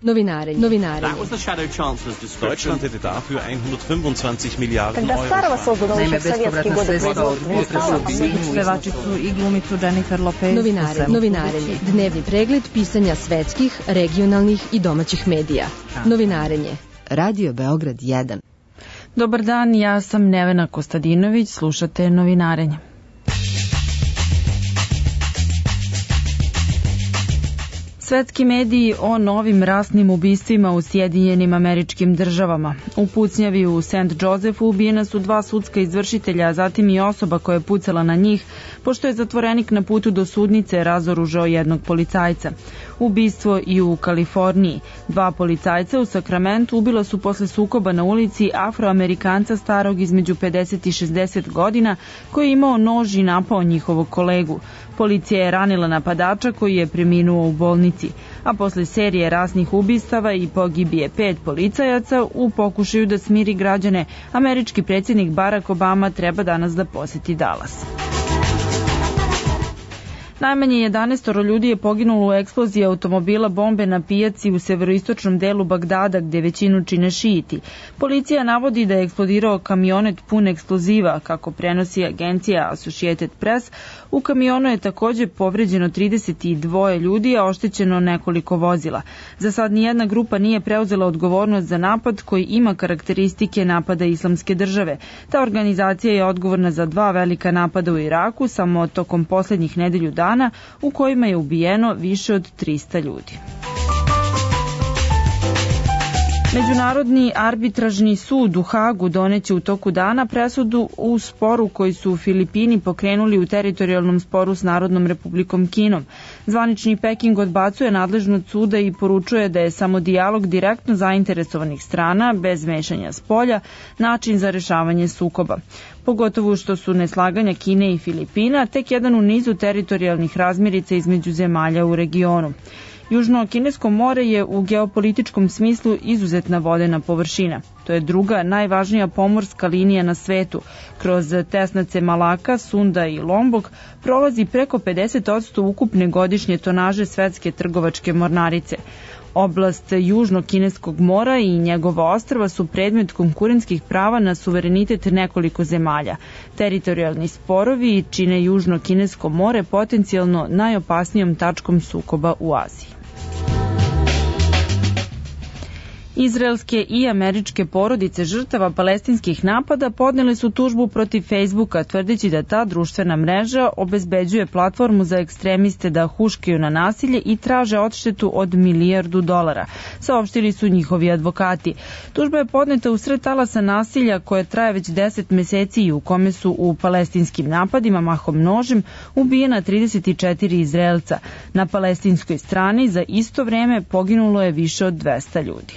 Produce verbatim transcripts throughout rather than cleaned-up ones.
Novinarenje. Novinarenje. Deutschland hätte dafür hundertfünfundzwanzig Milliarden Когда Сарова создана еще в советские годы Pevačicu i glumicu Jennifer Lopez. Novinarenje. Novinarenje. Dnevni pregled pisanja svetskih, regionalnih i domaćih medija. Novinarenje. Radio Beograd jedan. Dobar dan, ja sam Nevena Kostadinović, slušate Novinarenje. Svetski mediji o novim rasnim ubistvima u Sjedinjenim Američkim Državama. U pucnjavi u Saint Josephu ubijena su dva sudska izvršitelja, a zatim i osoba koja je pucala na njih, pošto je zatvorenik na putu do sudnice razoružao jednog policajca. Ubistvo i u Kaliforniji. Dva policajca u Sakramentu ubila su posle sukoba na ulici Afroamerikanca starog između pedeset i šezdeset godina, koji je imao nož i napao njihovog kolegu. Policija je ranila napadača koji je preminuo u bolnici, a posle serije rasnih ubistava i pogibije pet policajaca u pokušaju da smiri građane, američki predsjednik Barack Obama treba danas da poseti Dallas. Najmanje jedanaest ljudi je poginulo u eksploziji automobila bombe na pijaci u severoistočnom delu Bagdada, gde većinu čine šijiti. Policija navodi da je eksplodirao kamionet pun eksploziva, kako prenosi agencija Associated Press. U kamionu je takođe povređeno trideset dva ljudi, a oštećeno nekoliko vozila. Za sad nijedna grupa nije preuzela odgovornost za napad koji ima karakteristike napada Islamske države. Ta organizacija je odgovorna za dva velika napada u Iraku samo tokom poslednjih nedelju dana, u kojima je ubijeno više od trista ljudi. Međunarodni arbitražni sud u Hagu doneće u toku dana presudu u sporu koji su Filipini pokrenuli u teritorijalnom sporu s Narodnom republikom Kinom. Zvanični Peking odbacuje nadležnost suda i poručuje da je samo dijalog direktno zainteresovanih strana, bez mešanja spolja, način za rešavanje sukoba. Pogotovo što su neslaganja Kine i Filipina tek jedan u nizu teritorijalnih razmirica između zemalja u regionu. Južno-Kinesko more je u geopolitičkom smislu izuzetna vodena površina. To je druga najvažnija pomorska linija na svetu. Kroz tesnace Malaka, Sunda i Lombok prolazi preko pedeset posto ukupne godišnje tonaže svetske trgovačke mornarice. Oblast Južno-Kineskog mora i njegova ostrva su predmet konkurentskih prava na suverenitet nekoliko zemalja. Teritorijalni sporovi čine Južno-Kinesko more potencijalno najopasnijom tačkom sukoba u Aziji. Izraelske i američke porodice žrtava palestinskih napada podnele su tužbu protiv Facebooka, tvrdeći da ta društvena mreža obezbeđuje platformu za ekstremiste da huškaju na nasilje i traže odštetu od milijardu dolara, saopštili su njihovi advokati. Tužba je podneta usred talasa nasilja koje traje već deset meseci i u kome su u palestinskim napadima mahom nožem ubijena trideset četiri Izraelca. Na palestinskoj strani za isto vreme poginulo je više od dvesta ljudi.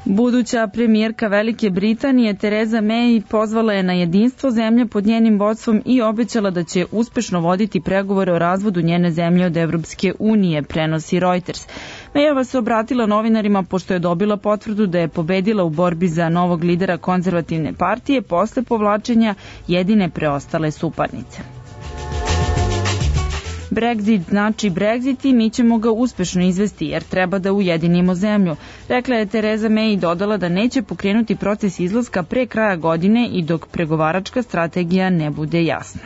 Buduća premijerka Velike Britanije Tereza May pozvala je na jedinstvo zemlje pod njenim vodstvom i obećala da će uspešno voditi pregovore o razvodu njene zemlje od Evropske unije, prenosi Reuters. Mayova se obratila novinarima pošto je dobila potvrdu da je pobedila u borbi za novog lidera konzervativne partije posle povlačenja jedine preostale suparnice. Brexit znači Brexit i mi ćemo ga uspešno izvesti jer treba da ujedinimo zemlju. Rekla je Tereza May i dodala da neće pokrenuti proces izlaska pre kraja godine i dok pregovaračka strategija ne bude jasna.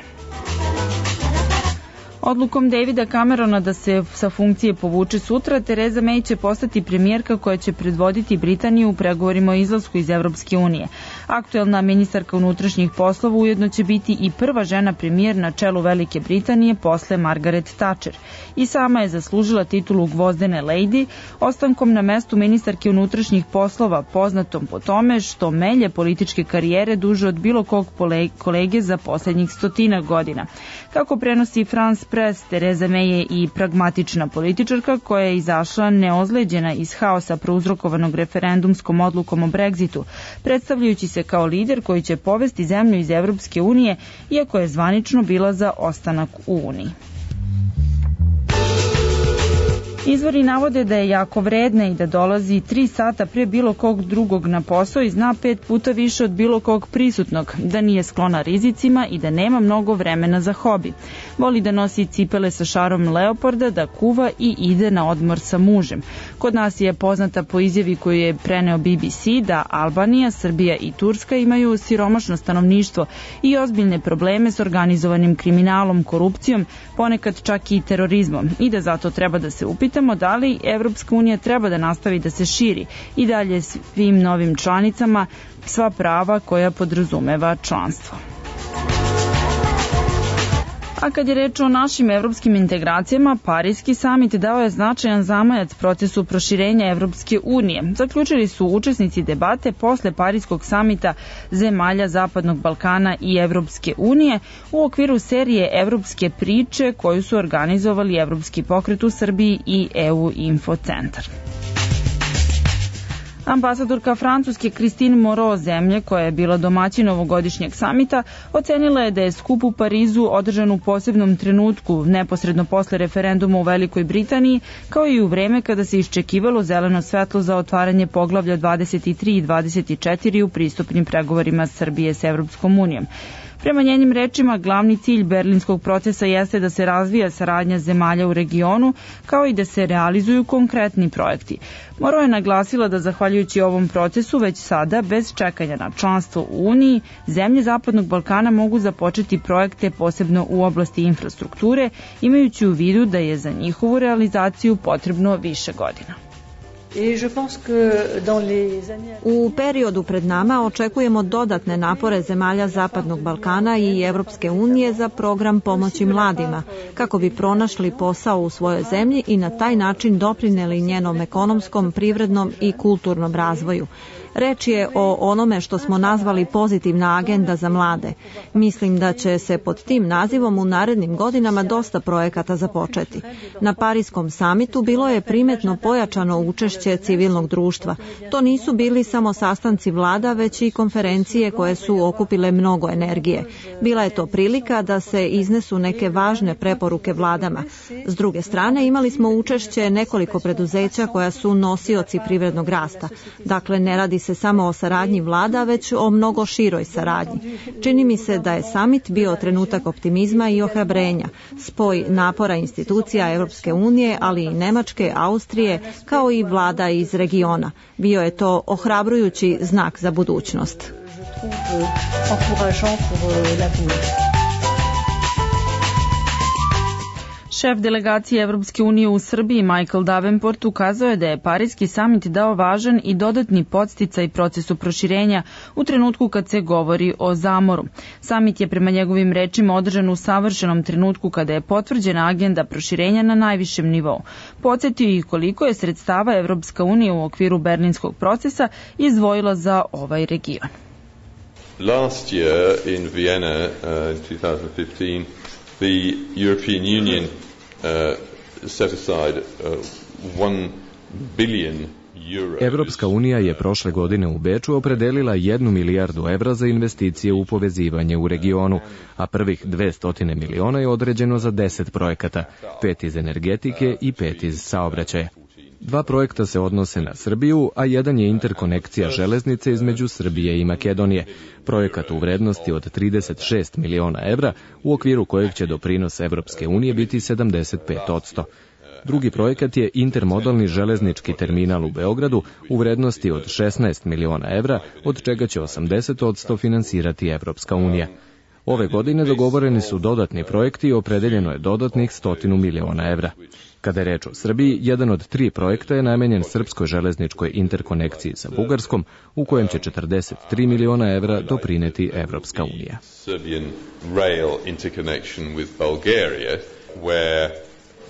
Odlukom Davida Camerona da se sa funkcije povuče sutra, Tereza May će postati premijerka koja će predvoditi Britaniju u pregovorima o izlasku iz Evropske unije. Aktuelna ministarka unutrašnjih poslova ujedno će biti i prva žena premijer na čelu Velike Britanije posle Margaret Thatcher. I sama je zaslužila titulu gvozdene lady, ostankom na mestu ministarke unutrašnjih poslova, poznatom po tome što melje političke karijere duže od bilo kog kolege za poslednjih stotina godina. Kako prenosi France Press, Tereza May je i pragmatična političarka koja je izašla neozleđena iz haosa prouzrokovanog referendumskom odlukom o Brexitu, predstavljajući se kao lider koji će povesti zemlju iz Evropske unije, iako je zvanično bila za ostanak u Uniji. Izvori navode da je jako vredna i da dolazi tri sata pre bilo kog drugog na posao i zna pet puta više od bilo kog prisutnog, da nije sklona rizicima i da nema mnogo vremena za hobi. Voli da nosi cipele sa šarom leoparda, da kuva i ide na odmor sa mužem. Kod nas je poznata po izjavi koju je preneo B B C da Albanija, Srbija i Turska imaju siromašno stanovništvo i ozbiljne probleme s organizovanim kriminalom, korupcijom, ponekad čak i terorizmom i da zato treba da se upitamo da li Evropska unija treba da nastavi da se širi i dalje svim novim članicama sva prava koja podrazumeva članstvo. A kad je reč o našim evropskim integracijama, Pariski samit dao je značajan zamajac procesu proširenja Evropske unije. Zaključili su učesnici debate posle Pariskog samita zemalja Zapadnog Balkana i Evropske unije u okviru serije Evropske priče koju su organizovali Evropski pokret u Srbiji i E U Info centar. Ambasadorka Francuske Christine Moreau, zemlje koja je bila domaćin ovogodišnjeg samita, ocenila je da je skup u Parizu održan u posebnom trenutku, neposredno posle referenduma u Velikoj Britaniji, kao i u vreme kada se iščekivalo zeleno svetlo za otvaranje poglavlja dvadeset tri i dvadeset četiri u pristupnim pregovorima Srbije s Evropskom unijom. Prema njenim rečima, glavni cilj berlinskog procesa jeste da se razvija saradnja zemalja u regionu, kao i da se realizuju konkretni projekti. Moreau je naglasila da zahvaljujući ovom procesu već sada, bez čekanja na članstvo u Uniji, zemlje Zapadnog Balkana mogu započeti projekte posebno u oblasti infrastrukture, imajući u vidu da je za njihovu realizaciju potrebno više godina. U periodu pred nama očekujemo dodatne napore zemalja Zapadnog Balkana i Evropske unije za program pomoći mladima, kako bi pronašli posao u svojoj zemlji i na taj način doprineli njenom ekonomskom, privrednom i kulturnom razvoju. Reč je o onome što smo nazvali pozitivna agenda za mlade. Mislim da će se pod tim nazivom u narednim godinama dosta projekata započeti. Na Pariskom samitu bilo je primetno pojačano učešće civilnog društva. To nisu bili samo sastanci vlada, već i konferencije koje su okupile mnogo energije. Bila je to prilika da se iznesu neke važne preporuke vladama. S druge strane, imali smo učešće nekoliko preduzeća koja su nosioci privrednog rasta. Dakle, ne radi se samo o saradnji vlada, već o mnogo široj saradnji. Čini mi se da je samit bio trenutak optimizma i ohrabrenja, spoj napora institucija Evropske unije, ali i Nemačke, Austrije, kao i vlada iz regiona. Bio je to ohrabrujući znak za budućnost. Šef delegacije Evropske unije u Srbiji Michael Davenport ukazao je da je Pariski samit dao važan i dodatni podsticaj procesu proširenja u trenutku kad se govori o zamoru. Samit je prema njegovim rečima održan u savršenom trenutku kada je potvrđena agenda proširenja na najvišem nivou. Podsjetio i koliko je sredstava Evropska unija u okviru berlinskog procesa izdvojila za ovaj region. Last year in Vienna uh, in two thousand fifteen the European Union uh, set aside uh, one billion euros. Evropska unija je prošle godine u Beču opredelila jednu milijardu evra za investicije u povezivanje u regionu, a prvih dvesta miliona je određeno za deset projekata, pet iz energetike i pet iz saobraćaja. Dva projekta se odnose na Srbiju, a jedan je interkonekcija železnice između Srbije i Makedonije, projekat u vrednosti od trideset šest miliona evra, u okviru kojeg će doprinos Evropske unije biti sedamdeset pet posto. Drugi projekat je intermodalni železnički terminal u Beogradu u vrednosti od šesnaest miliona evra, od čega će osamdeset posto finansirati Evropska unija. Ove godine dogovoreni su dodatni projekti i opredeljeno je dodatnih stotinu miliona evra. Kada je reč o Srbiji, jedan od tri projekta je namenjen srpskoj železničkoj interkonekciji sa Bugarskom, u kojem će četrdeset tri miliona evra doprineti Evropska unija. Serbian rail interconnection with Bulgaria, where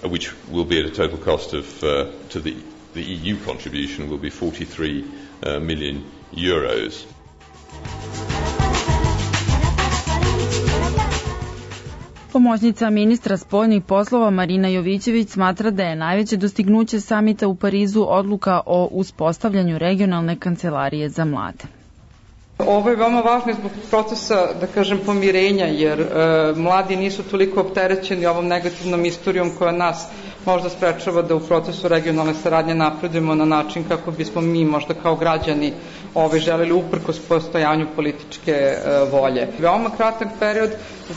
which will be at a total cost of uh, to the the E U contribution will be forty-three uh, million euros. Pomoćnica ministra spoljnih poslova Marina Jovićević smatra da je najveće dostignuće samita u Parizu odluka o uspostavljanju regionalne kancelarije za mlade. Ovo je veoma važno zbog procesa, da kažem, pomirenja, jer e, mladi nisu toliko opterećeni ovom negativnom istorijom koja nas možda sprečava da u procesu regionalne saradnje napredujemo na način kako bismo mi možda kao građani ove želeli uprkos postojanju političke e, volje. Veoma kratak period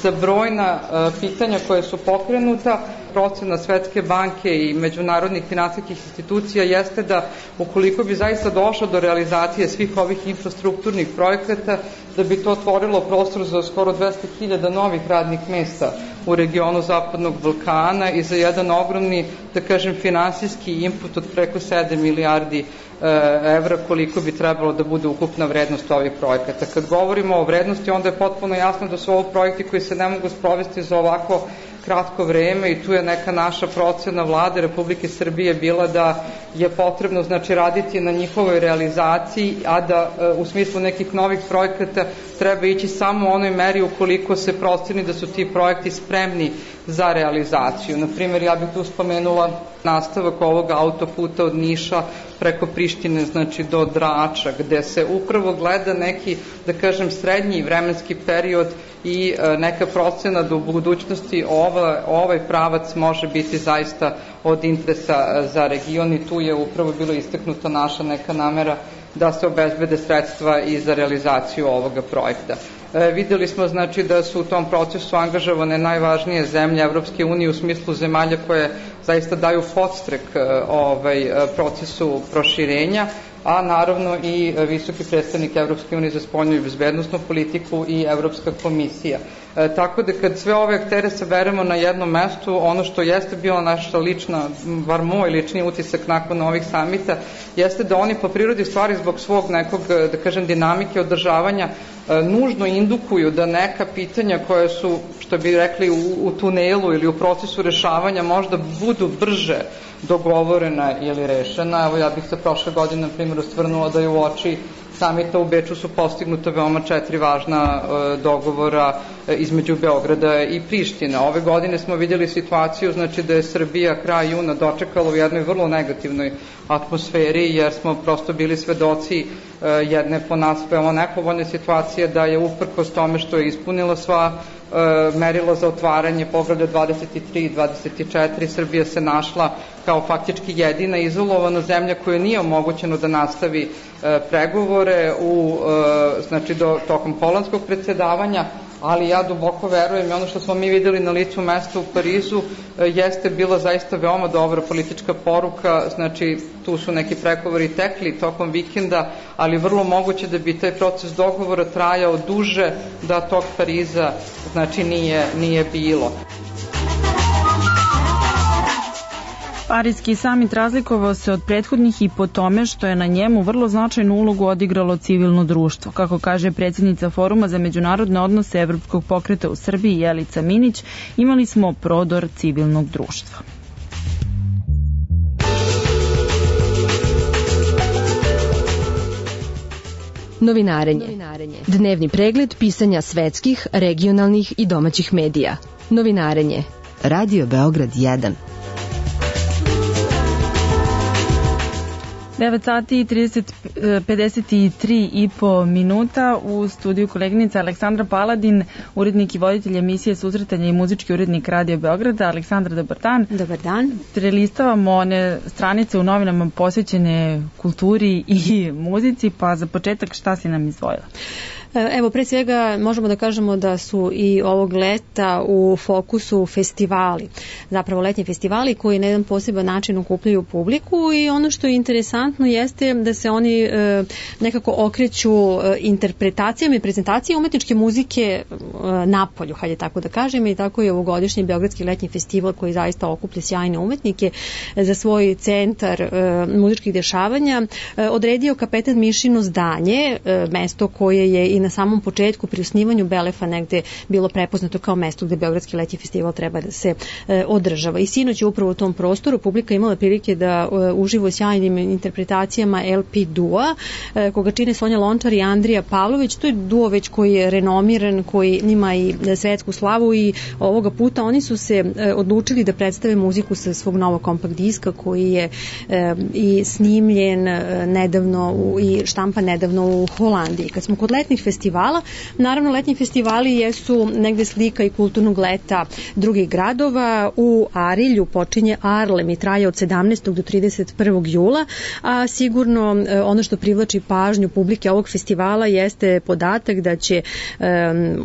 za brojna e, pitanja koje su pokrenuta. Procena Svetske banke i međunarodnih finansijskih institucija jeste da ukoliko bi zaista došlo do realizacije svih ovih infrastrukturnih projekata, da bi to otvorilo prostor za skoro dvesta hiljada novih radnih mesta u regionu Zapadnog Balkana i za jedan ogromni, da kažem, finansijski input od preko sedam milijardi evra koliko bi trebalo da bude ukupna vrednost ovih projekata. Kad govorimo o vrednosti, onda je potpuno jasno da su ovo projekti koji se ne mogu sprovesti za ovako kratko vreme i tu je neka naša procena Vlade Republike Srbije bila da je potrebno znači raditi na njihovoj realizaciji, a da u smislu nekih novih projekata treba ići samo u onoj meri ukoliko se proceni da su ti projekti spremni za realizaciju. Naprimjer, ja bih tu spomenula nastavak ovog autoputa od Niša preko Prištine, znači do Drača, gde se upravo gleda neki, da kažem, srednji vremenski period i neka procena da u budućnosti ovaj, ovaj pravac može biti zaista od interesa za region i tu je upravo bilo istaknuta naša neka namera da se obezbede sredstva i za realizaciju ovoga projekta. E, videli smo znači da su u tom procesu angažovane najvažnije zemlje Evropske unije u smislu zemalja koje zaista daju podstrek ovaj, procesu proširenja, a naravno i visoki predstavnik Evropske unije za spoljnu i bezbednosnu politiku i Evropska komisija. E, tako da kad sve ove aktere saberemo na jednom mestu, ono što jeste bila naša lična, bar moj lični utisak nakon ovih samita, jeste da oni po prirodi stvari zbog svog nekog, da kažem, dinamike održavanja e, nužno indukuju da neka pitanja koja su, što bi rekli, u, u tunelu ili u procesu rešavanja možda budu brže dogovorena ili rešena. Evo ja bih se prošle godine, na primjer, ostvrnula da je u oči samita u Beču su postignuta veoma četiri važna e, dogovora e, između Beograda i Prištine. Ove godine smo vidjeli situaciju, znači da je Srbija kraj juna dočekala u jednoj vrlo negativnoj atmosferi, jer smo prosto bili svedoci e, jedne po nas veoma nepovoljne situacije da je uprkos tome što je ispunila sva merilo za otvaranje poglavlja dvadeset tri i dvadeset četiri, Srbija se našla kao faktički jedina izolovana zemlja koja nije omogućeno da nastavi e, pregovore u, e, znači do, tokom holandskog predsjedavanja, ali ja duboko verujem i ono što smo mi videli na licu mesta u Parizu e, jeste bila zaista veoma dobra politička poruka, znači tu su neki pregovori tekli tokom vikenda, ali vrlo moguće da bi taj proces dogovora trajao duže da tog Pariza znači nije, nije bilo. Parijski samit razlikovao se od prethodnih i po tome što je na njemu vrlo značajnu ulogu odigralo civilno društvo. Kako kaže predsjednica Foruma za međunarodne odnose Evropskog pokreta u Srbiji Jelica Minić, imali smo prodor civilnog društva. Novinarenje. Dnevni pregled pisanja svetskih, regionalnih i domaćih medija. Novinarenje. Radio Beograd jedan. devet sati i pedeset tri i po minuta. U studiju koleginica Aleksandra Paladin, urednik i voditelj emisije Susretanja i muzički urednik Radio Beograda. Aleksandra, dobar dan. Dobar dan. Prelistavamo one stranice u novinama posvećene kulturi i muzici, pa za početak šta si nam izdvojila? Evo, pre svega možemo da kažemo da su i ovog leta u fokusu festivali, zapravo letnji festivali koji na jedan poseban način okupljaju publiku i ono što je interesantno jeste da se oni e, nekako okreću e, interpretacijama i prezentacije umetničke muzike e, napolju, hajde tako da kažem, i tako je ovogodišnji Beogradski letnji festival koji zaista okuplja sjajne umetnike za svoj centar e, muzičkih dešavanja e, odredio Kapetan Mišino zdanje, e, mesto koje je i na samom početku pri osnivanju Belefa negde bilo prepoznato kao mesto gde Beogradski letnji festival treba da se e, održava. I sinoć je upravo u tom prostoru publika imala prilike da e, uživo sjajnim interpretacijama L P Dua, e, koga čine Sonja Lončar i Andrija Pavlović. To je duo već koji je renomiran, koji ima i svetsku slavu i ovoga puta oni su se e, odlučili da predstave muziku sa svog novog kompakt diska koji je e, i snimljen e, nedavno u, i štampa nedavno u Holandiji. Kad smo kod letnih festivala. Naravno, letnji festivali jesu negde slika i kulturnog leta drugih gradova. U Arilju počinje Arlem i traje od sedamnaestog do trideset prvog jula, a sigurno ono što privlači pažnju publike ovog festivala jeste podatak da će um,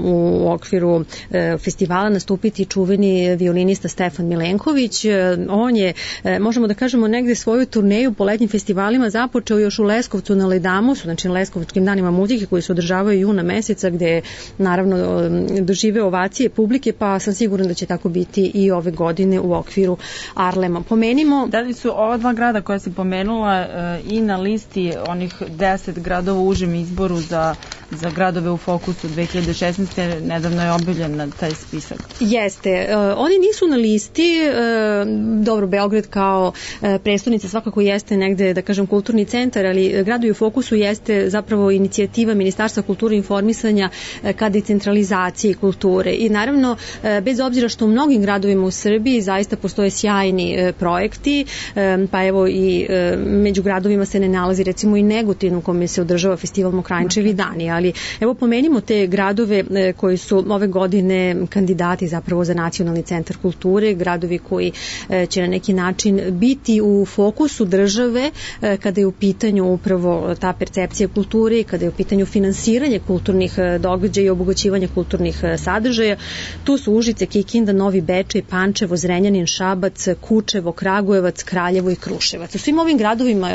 u okviru um, festivala nastupiti čuveni violinista Stefan Milenković. On je, možemo da kažemo, negde svoju turneju po letnjim festivalima započeo još u Leskovcu na Ledamosu, znači na Leskovačkim danima muzike koji se održavaju juna meseca, gde je naravno dožive ovacije publike, pa sam sigurna da će tako biti i ove godine u okviru Arlema. Pomenimo... Da li su ova dva grada koja si pomenula i na listi onih deset gradova u užem izboru za, za gradove u fokusu dve hiljade šesnaeste. Nedavno je objavljen na taj spisak. Jeste. Oni nisu na listi. Dobro, Beograd kao prestonica svakako jeste negde, da kažem, kulturni centar, ali gradovi u fokusu jeste zapravo inicijativa Ministarstva kulture i informisanja ka decentralizaciji kulture. I naravno, bez obzira što u mnogim gradovima u Srbiji zaista postoje sjajni projekti, pa evo i među gradovima se ne nalazi recimo i Negotin u kome se održava festival Mokranjčevi dani, ali evo pomenimo te gradove koji su ove godine kandidati zapravo za nacionalni centar kulture, gradovi koji će na neki način biti u fokusu države kada je u pitanju upravo ta percepcija kulture i kada je u pitanju finansiranje kulturnih događaja i obogaćivanja kulturnih sadržaja. Tu su Užice, Kikinda, Novi Bečej, Pančevo, Zrenjanin, Šabac, Kučevo, Kragujevac, Kraljevo i Kruševac. U svim ovim gradovima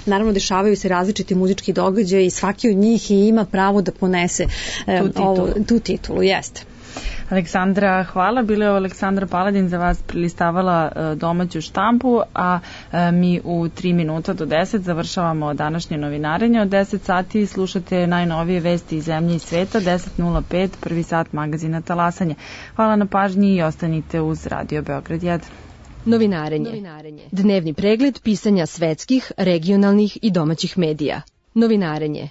naravno dešavaju se različiti muzički događaji i svaki od njih i ima pravo da ponese tu titulu. Ovo, tu titulu, jeste. Aleksandra, hvala. Bila je Aleksandra Paladin za vas prilistavala domaću štampu, a mi u tri minuta do deset završavamo današnje novinarenje. Od deset sati slušate najnovije vesti iz zemlje i sveta, deset nula pet, prvi sat magazina Talasanje. Hvala na pažnji i ostanite uz Radio Beograd jedan. Novinarenje. Novinarenje. Dnevni pregled pisanja svetskih, regionalnih i domaćih medija. Novinarenje.